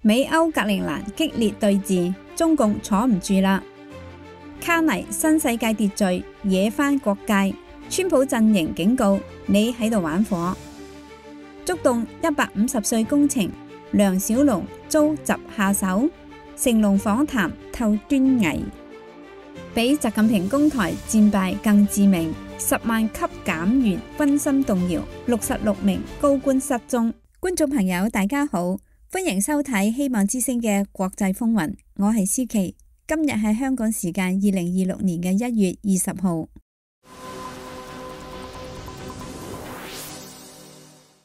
美歐格陵蘭激烈對峙，中共坐唔住啦。卡尼新世界秩序惹翻國界，川普陣營警告你喺度玩火。觸動150歲工程，梁小龍遭襲下手，成龍訪談透端倪，比習近平攻台戰敗更致命，10萬級減員軍心動搖，66名高官失蹤。觀眾朋友大家好，歡迎收睇希望之聲嘅國際風雲，我係思琪。今日係香港時間2026年嘅1月20號。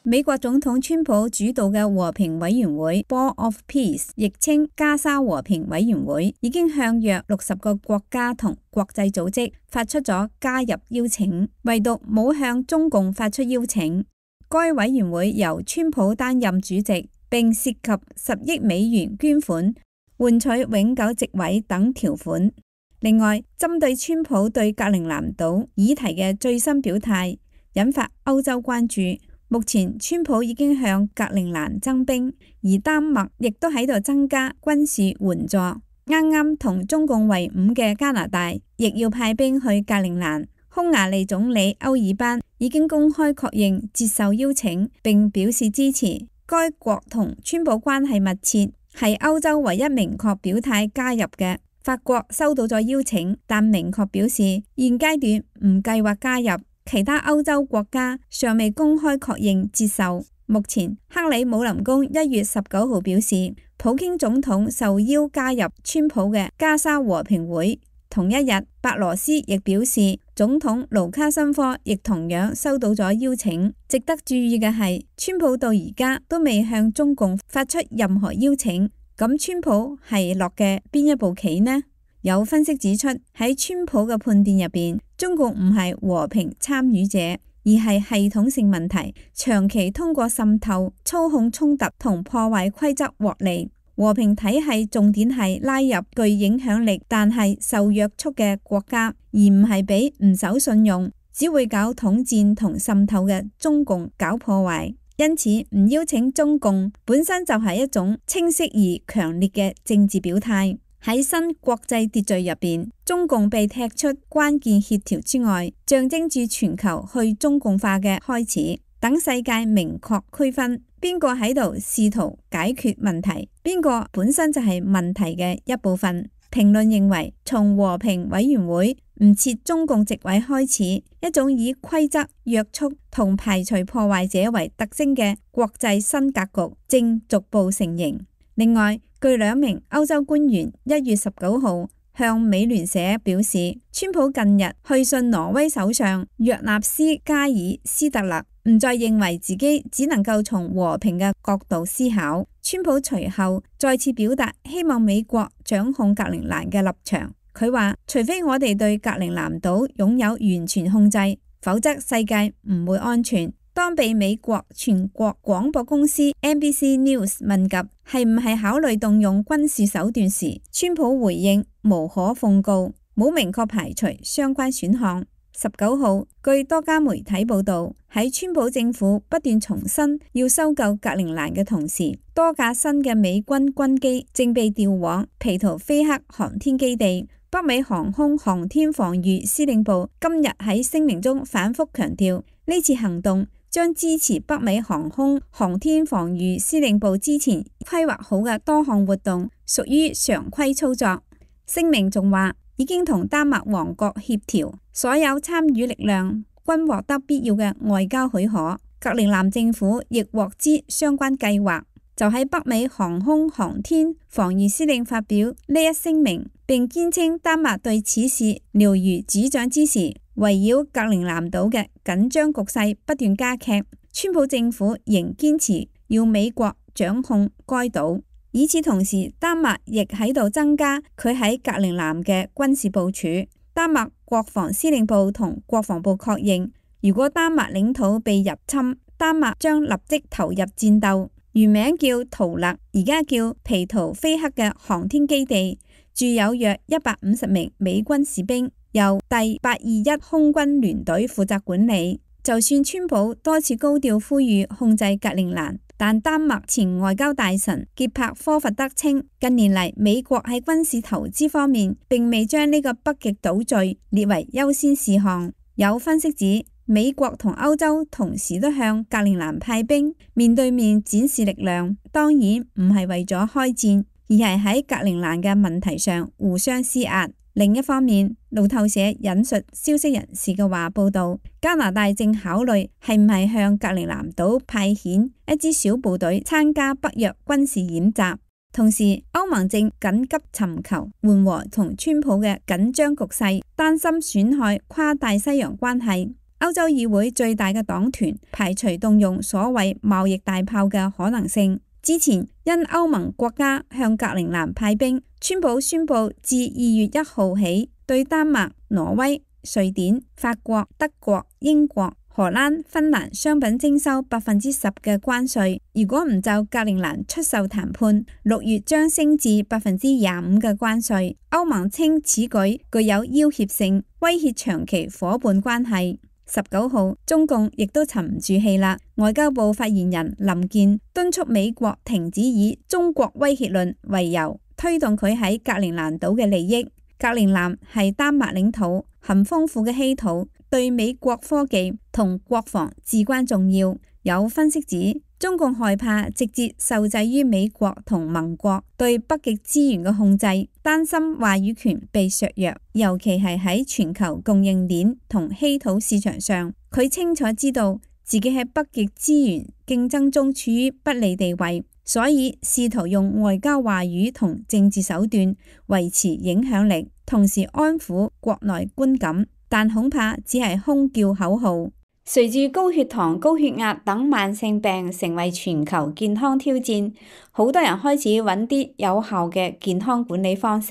美國總統川普主導嘅和平委員會 Board of Peace， 亦稱加沙和平委員會，已經向約60個國家同國際組織發出咗加入邀請，唯獨冇向中共發出邀請。該委員會由川普擔任主席，並涉及10億美元捐款，換取永久席位等條款。另外，針對川普對格陵蘭島議題嘅最新表態，引發歐洲關注。目前，川普已經向格陵蘭增兵，而丹麥亦都喺度增加軍事援助。啱啱同中共為伍嘅加拿大，亦要派兵去格陵蘭。匈牙利總理歐爾班已經公開確認接受邀請，並表示支持。該國同川普關係密切，係歐洲唯一明確表態加入嘅。法國收到咗邀請，但明確表示現階段唔計劃加入。其他歐洲國家尚未公開確認接受。目前，克里姆林宮1月19號表示，普京總統受邀加入川普嘅加沙和平會。同一日，白羅斯亦表示，總統盧卡申科亦同樣收到咗邀請。值得注意嘅係，川普到而家都未向中共發出任何邀請。咁川普係落嘅邊一步棋呢？有分析指出，喺川普嘅判斷入邊，中共唔係和平參與者，而係系統性問題，長期通過滲透、操控衝突同破壞規則獲利。和平體系重點係拉入具影響力但係受約束嘅國家，而唔係俾唔守信用、只會搞統戰同滲透嘅中共搞破壞。因此，唔邀請中共本身就係一種清晰而強烈嘅政治表態。喺新國際秩序入邊，中共被踢出關鍵協調之外，象徵住全球去中共化嘅開始。等世界明確區分邊個喺度試圖解決問題，邊個本身就係問題嘅一部分。評論認為，從和平委員會唔設中共席位開始，一種以規則約束同排除破壞者為特徵嘅國際新格局正逐步成型。另外，據2名歐洲官員1月19號向美聯社表示，川普近日去信挪威首相約納斯加爾斯特勒，唔再認為自己只能夠從和平嘅角度思考。川普隨後再次表達希望美國掌控格陵蘭嘅立場。佢話，除非我哋對格陵蘭島擁有完全控制，否則世界唔會安全。當被美國全國廣播公司 NBC News 問及係唔係考慮動用軍事手段時，川普回應無可奉告，冇明確排除相關選項。19號，據多家媒體報道，喺川普政府不斷重申要收購格陵蘭嘅同時，多架新嘅美軍軍機正被調往皮圖菲克航天基地。北美航空航天防禦司令部今日喺聲明中反覆強調，呢次行動將支持北美航空航天防禦司令部之前規劃好嘅多項活動，屬於常規操作。聲明仲話，已經同丹麥王國協調，所有參與力量均獲得必要嘅外交許可。格陵蘭政府亦獲知相關計劃。就喺北美航空航天防禦司令發表呢一聲明，並堅稱丹麥對此事了如指掌之時，圍繞格陵蘭島嘅緊張局勢不斷加劇。川普政府仍堅持要美國掌控該島。與此同時，丹麥亦喺度增加佢喺格陵蘭嘅軍事部署。丹麥國防司令部同國防部確認，如果丹麥領土被入侵，丹麥將立即投入戰鬥。原名叫圖勒，而家叫皮圖菲克嘅航天基地，駐有約150名美軍士兵，由第821空軍聯隊負責管理。就算川普多次高調呼籲控制格陵蘭，但丹麥前外交大臣傑柏科佛德稱，近年嚟美國喺軍事投資方面並未將呢個北極島嶼列為優先事項。有分析指，美國同歐洲同時都向格陵蘭派兵，面對面展示力量，當然唔係為咗開戰，而係喺格陵蘭嘅問題上互相施壓。另一方面，路透社引述消息人士嘅話報道，加拿大正考慮係唔係向格陵蘭島派遣一支小部隊參加北約軍事演習。同時，歐盟正緊急尋求緩和同川普嘅緊張局勢，擔心損害跨大西洋關係。歐洲議會最大嘅黨團排除動用所謂貿易大炮嘅可能性。之前因歐盟國家向格陵蘭派兵，川普宣布自2月1號起對丹麥、挪威、瑞典、法國、德國、英國、荷蘭、芬蘭商品徵收10%嘅關稅。如果唔就格陵蘭出售談判，6月將升至25%嘅關稅。歐盟稱此舉具有要挾性，威脅長期夥伴關係。19號，中共亦都沉唔住氣啦。外交部發言人林健敦促美國停止以中國威脅論為由推動佢喺格陵蘭島嘅利益。格陵蘭係丹麥領土，含豐富嘅稀土，對美國科技同國防至關重要。有分析指，中共害怕直接受制於美國同盟國對北極資源嘅控制，擔心話語權被削弱，尤其係喺全球供應鏈同稀土市場上。佢清楚知道自己喺北極資源競爭中處於不利地位，所以試圖用外交話語同政治手段維持影響力，同時安撫國內觀感，但恐怕只係空叫口號。隨住高血糖、高血壓等慢性病成為全球健康挑戰，好多人開始揾啲有效嘅健康管理方式。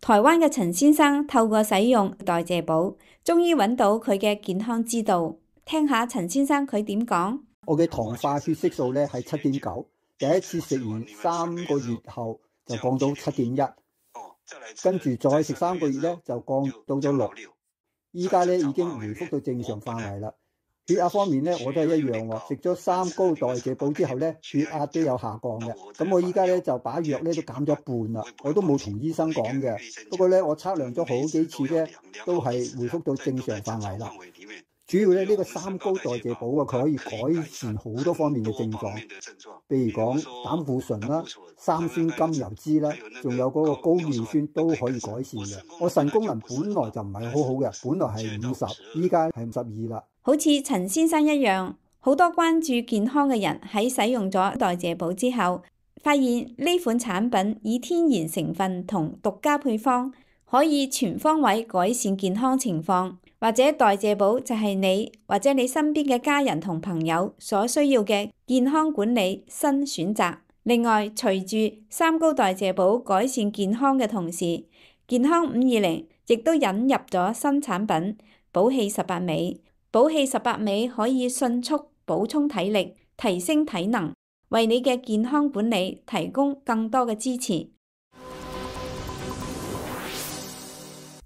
台灣嘅陳先生透過使用代謝寶，終於揾到佢嘅健康之道。聽下陳先生佢點講。我嘅糖化血色素咧係7.9，第一次食完3個月後就降到7.1，跟住再食3個月咧就降到咗6，依家咧已經回復到正常範圍啦。血壓方面咧，我都係一樣喎。食咗3高代謝寶之後咧，血壓都有下降嘅。咁我依家咧就把藥咧都減咗一半啦。我都冇同醫生講嘅。不過咧，我測量咗好幾次咧，都係回復到正常範圍啦。主要咧呢個3高代謝寶啊，佢可以改善好多方面嘅症狀，譬如講膽固醇啦、三酸甘油酯啦，仲有嗰個高尿酸都可以改善嘅。我腎功能本來就唔係好好嘅，本來係50，依家係52啦。好似陳先生一樣，好多關注健康嘅人喺使用咗代謝寶之後，發現呢款產品以天然成分同獨家配方，可以全方位改善健康情況。或者代謝寶就係你或者你身邊嘅家人同朋友所需要嘅健康管理新選擇。另外，隨住3高代謝寶改善健康嘅同時，健康520亦都引入咗新產品寶氣18味。寶氣18味可以迅速補充體力，提升體能，為你嘅健康管理提供更多嘅支持。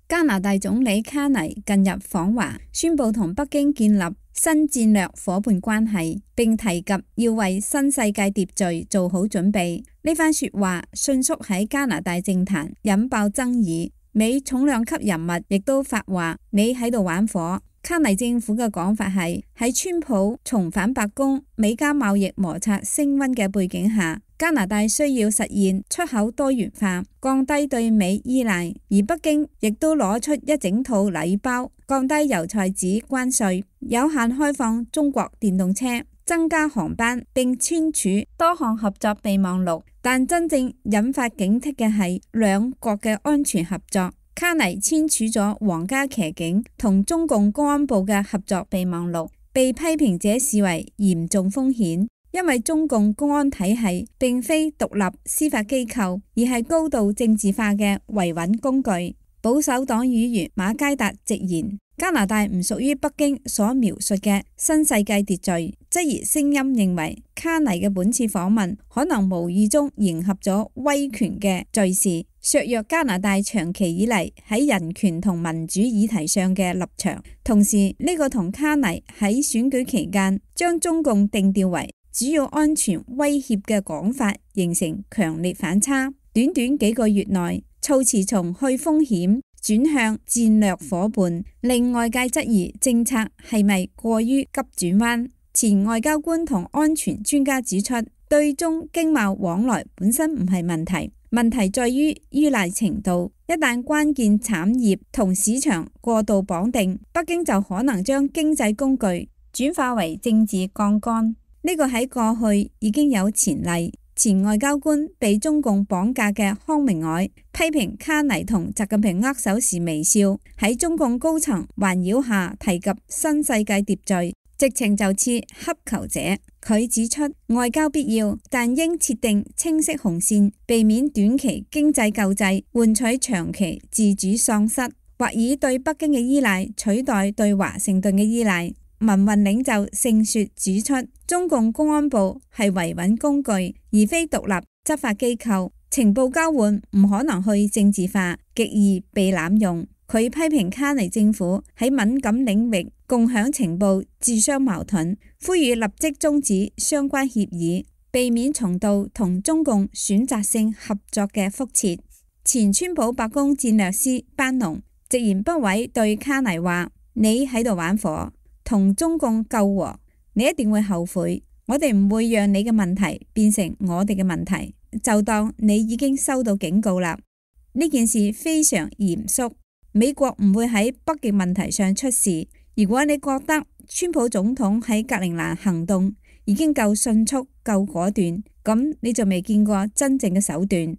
加拿大總理卡尼近日訪華，宣布同北京建立新戰略夥伴關係，並提及要為新世界秩序做好準備。呢番說話迅速喺加拿大政壇引爆爭議，美重量級人物亦都發話：你喺度玩火。卡尼政府嘅講法係喺川普重返白宮、美加貿易摩擦升溫嘅背景下，加拿大需要實現出口多元化，降低對美依賴，而北京亦都攞出一整套禮包，降低油菜籽關稅，有限開放中國電動車，增加航班，並簽署多項合作備忘錄。但真正引發警惕嘅係兩國嘅安全合作。卡尼簽署咗皇家騎警同中共公安部嘅合作備忘錄，被批評者視為嚴重風險，因為中共公安體系並非獨立司法機構，而係高度政治化嘅維穩工具。保守黨議員馬偕達直言，加拿大唔屬於北京所描述嘅新世界秩序，質疑聲音認為卡尼嘅本次訪問可能無意中迎合咗威權嘅敘事，削弱加拿大長期以嚟喺人權同民主議題上嘅立場。同時，呢個同卡尼喺選舉期間將中共定調為主主要安全威脅嘅講法形成強烈反差。短短幾個月內，措辭從去風險轉向戰略夥伴，令外界質疑政策係咪過於急轉彎。前外交官同安全專家指出，對中經貿往來本身唔係問題，問題在於依賴程度。一旦關鍵產業同市場過度綁定，北京就可能將經濟工具轉化為政治槓桿。呢個喺過去已經有前例。前外交官被中共綁架嘅康明凱批評卡尼同習近平握手時微笑，喺中共高層環繞下提及新世界秩序，直情就似乞求者。佢指出，外交必要，但應設定清晰紅線，避免短期經濟救濟換取長期自主喪失，或以對北京嘅依賴取代對華盛頓嘅依賴。民運領袖盛雪指出，中共公安部係維穩工具，而非獨立執法機構，情報交換唔可能去政治化，極易被濫用。佢批評卡尼政府喺敏感領域共享情報自相矛盾，呼籲立即終止相關協議，避免重蹈同中共選擇性合作嘅覆轍。前川普白宮戰略師班農直言不諱對卡尼話：你喺度玩火，同中共救和，你一定會後悔。我哋唔會讓你嘅問題變成我哋嘅問題，就當你已經收到警告啦。呢件事非常嚴肅，美國唔會喺北極問題上出事。如果你覺得川普總統喺格陵蘭行動已經夠迅速、夠果斷，咁你就未見過真正嘅手段。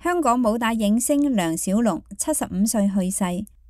香港武打影星梁小龍75歲去世。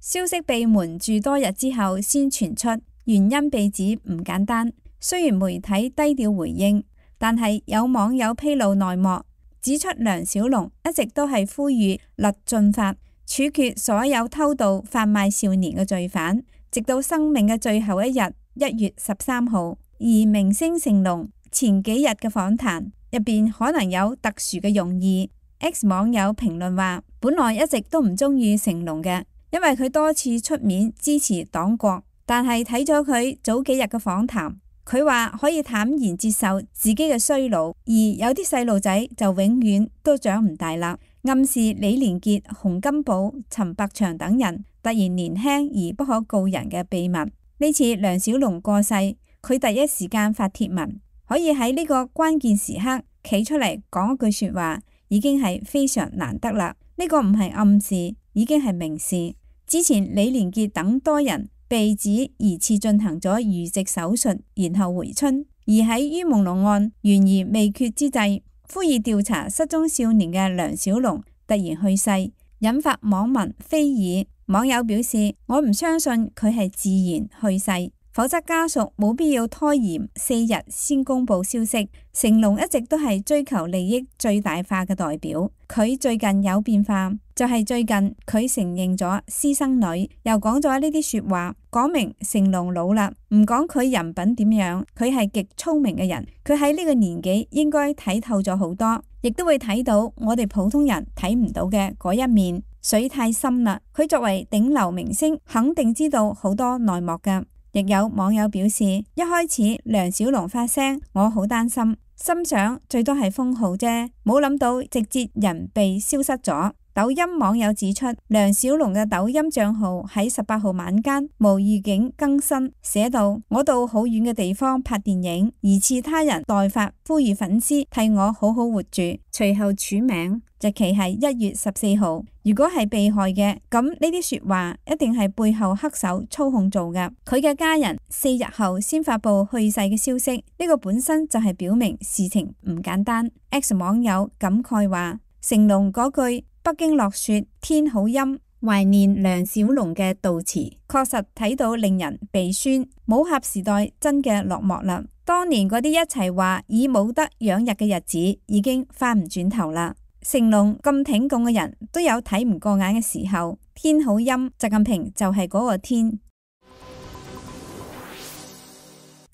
消息被瞞住多日之後先傳出，原因被指唔簡單。雖然媒體低調回應，但係有網友披露內幕，指出梁小龍一直都係呼籲勒峻法，處決所有偷渡販賣少年嘅罪犯，直到生命嘅最後一日1月13號。而明星成龍前幾日嘅訪談入邊可能有特殊嘅用意。X 網友評論話，本來一直都唔中意成龍嘅，因為佢多次出面支持黨國，但係睇咗佢早幾日嘅訪談，佢話可以坦然接受自己嘅衰老，而有啲細路仔就永遠都長唔大啦，暗示李連杰、洪金寶、陳百祥等人突然年輕而不可告人嘅秘密。呢次梁小龍過世，佢第一時間發帖文，可以喺呢個關鍵時刻企出嚟講一句說話，已經係非常難得啦。呢個唔係暗示，已經係明示。之前李連杰等多人被指疑似進行咗移植手術，然後回春。而喺于朦朧案懸疑未決之際，呼籲調查失蹤少年嘅梁小龍突然去世，引發網民非議。網友表示：我唔相信佢係自然去世，否則家屬冇必要拖延4日先公布消息。成龍一直都係追求利益最大化嘅代表，佢最近有變化，就係最近佢承認咗私生女，又講咗呢啲說話，講明成龍老啦，唔講佢人品點樣，佢係極聰明嘅人，佢喺呢個年紀應該睇透咗好多，亦都會睇到我哋普通人睇唔到嘅嗰一面，水太深啦。佢作為頂流明星，肯定知道好多內幕㗎。亦有網友表示，一開始梁小龍發聲，我好擔心，心想最多係封號啫，冇諗到直接人被消失咗。抖音網友指出，梁小龍嘅抖音賬號喺18號晚間無預警更新，寫到：我到好遠嘅地方拍電影，疑似他人代發，呼籲粉絲替我好好活住。隨後署名，日期係1月14號。如果係被害嘅，咁呢啲說話一定係背後黑手操控做㗎。佢嘅家人4日後先發佈去世嘅消息，呢個本身就係表明事情唔簡單。X 網友感慨話：成龍嗰句北京落雪，天好陰，懷念梁小龍嘅悼詞，確實睇到令人鼻酸。武俠時代真嘅落幕啦，當年嗰啲一齊話以武德養日嘅日子已經翻唔轉頭啦。成龍咁挺共嘅人都有睇唔過眼嘅時候，天好陰，習近平就係嗰個天。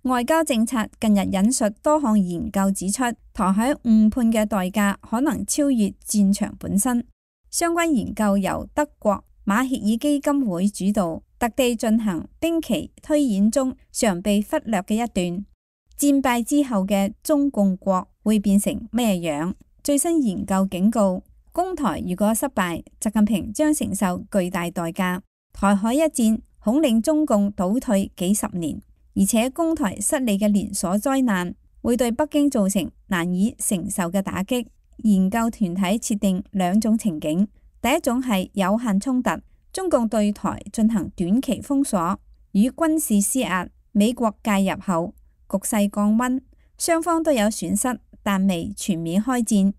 外交政策近日引述多項研究指出，台海誤判嘅代價可能超越戰場本身。相關研究由德國馬歇爾基金會主導，特地進行兵棋推演中常被忽略嘅一段。戰敗之後嘅中共國會變成咩樣？最新研究警告，攻台如果失敗，習近平將承受巨大代價。台海一戰恐令中共倒退幾十年，而且攻台失利嘅連鎖災難會對北京造成難以承受嘅打擊。研究團體設定兩種情景，第一種係有限衝突，中共對台進行短期封鎖與軍事施壓，美國介入後局勢降溫，雙方都有損失，但未全面開戰。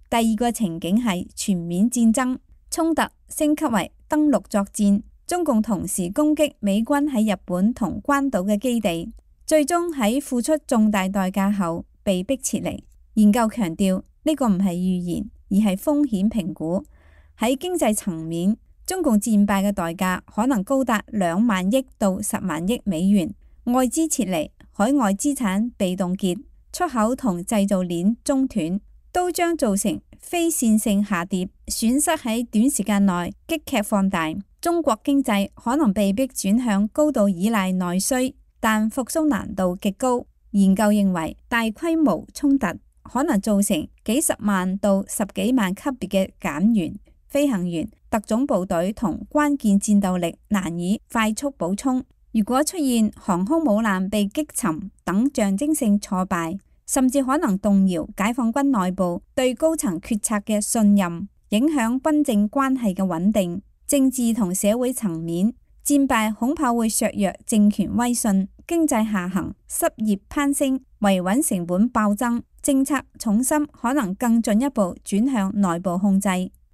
第二個情景係全面戰爭，衝突升級為登陸作戰，中共同時攻擊美軍喺日本同關島嘅基地，最終喺付出重大代價後被迫撤離。研究強調，呢個唔係預言，而係風險評估。喺經濟層面，中共戰敗嘅代價可能高達2萬億到10萬億美元，外資撤離，海外資產被凍結，出口同製造鏈中斷，都將造成非線性下跌，損失喺短時間內急劇放大。中國經濟可能被迫轉向高度依賴內需，但復甦難度極高。研究認為，大規模衝突可能造成幾十萬到10幾萬級別嘅減員、飛行員、特種部隊同關鍵戰鬥力難以快速補充。如果出現航空母艦被擊沉等象徵性挫敗，甚至可能動搖解放軍內部對高層決策嘅信任，影響軍政關係嘅穩定。政治同社會層面，戰敗恐怕會削弱政權威信，經濟下行，失業攀升，維穩成本暴增，政策重心可能更進一步轉向內部控制。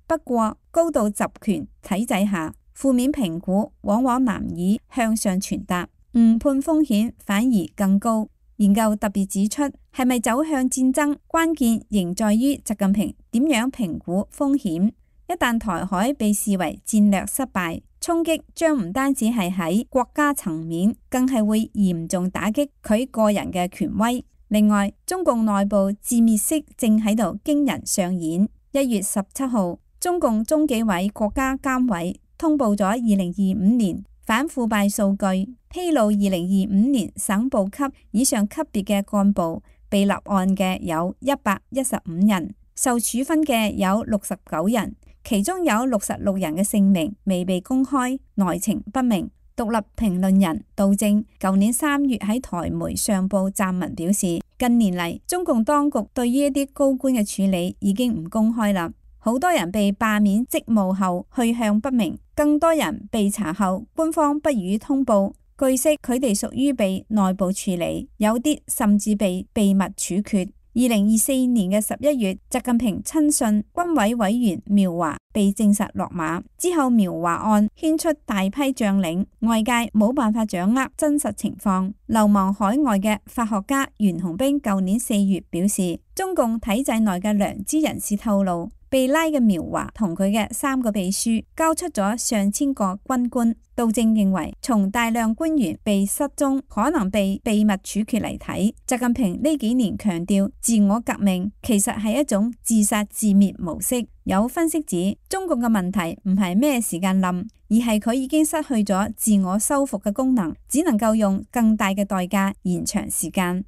不過，高度集權體制下，負面評估往往難以向上傳達，誤判風險反而更高。研究特別指出，係咪走向戰爭，關鍵仍在於習近平點樣評估風險。一旦台海被視為戰略失敗，衝擊將唔單止係喺國家層面，更係會嚴重打擊佢個人嘅權威。另外，中共內部自滅式正喺度驚人上演。1月17號，中共中紀委國家監委通報咗2025年反腐敗數據，披露2025年省部級以上級別嘅幹部被立案嘅有115人，受處分嘅有69人。其中有66人嘅姓名未被公開，內情不明。獨立評論人杜正舊年3月喺台媒上報撰文表示，近年嚟中共當局對於一啲高官嘅處理已經唔公開啦，好多人被罷免職務後去向不明，更多人被查後官方不予通報。據悉，佢哋屬於被內部處理，有啲甚至被秘密處決。2024年嘅11月，習近平親信軍委委員苗華被證實落馬之後，苗華案牽出大批將領，外界冇辦法掌握真實情況。流亡海外嘅法學家袁洪兵舊年4月表示，中共體制內嘅良知人士透露，被拉嘅苗華同佢嘅3個秘書交出咗上千個軍官。杜正認為，從大量官員被失蹤、可能被秘密處決嚟睇，習近平呢幾年強調自我革命，其實係一種自殺自滅模式。有分析指，中共嘅問題唔係咩時間冧，而係佢已經失去咗自我修復嘅功能，只能夠用更大嘅代價延長時間。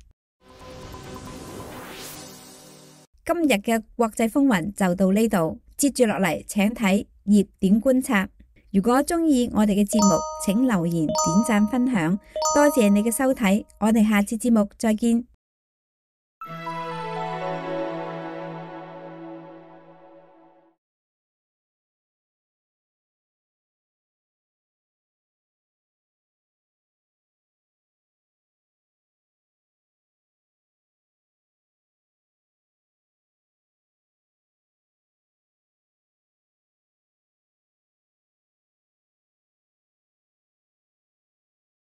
今日嘅國際風雲就到呢度，接住落嚟請睇熱點觀察。如果鍾意我哋嘅節目，請留言、點讚、分享，多謝你嘅收睇，我哋下次節目再見。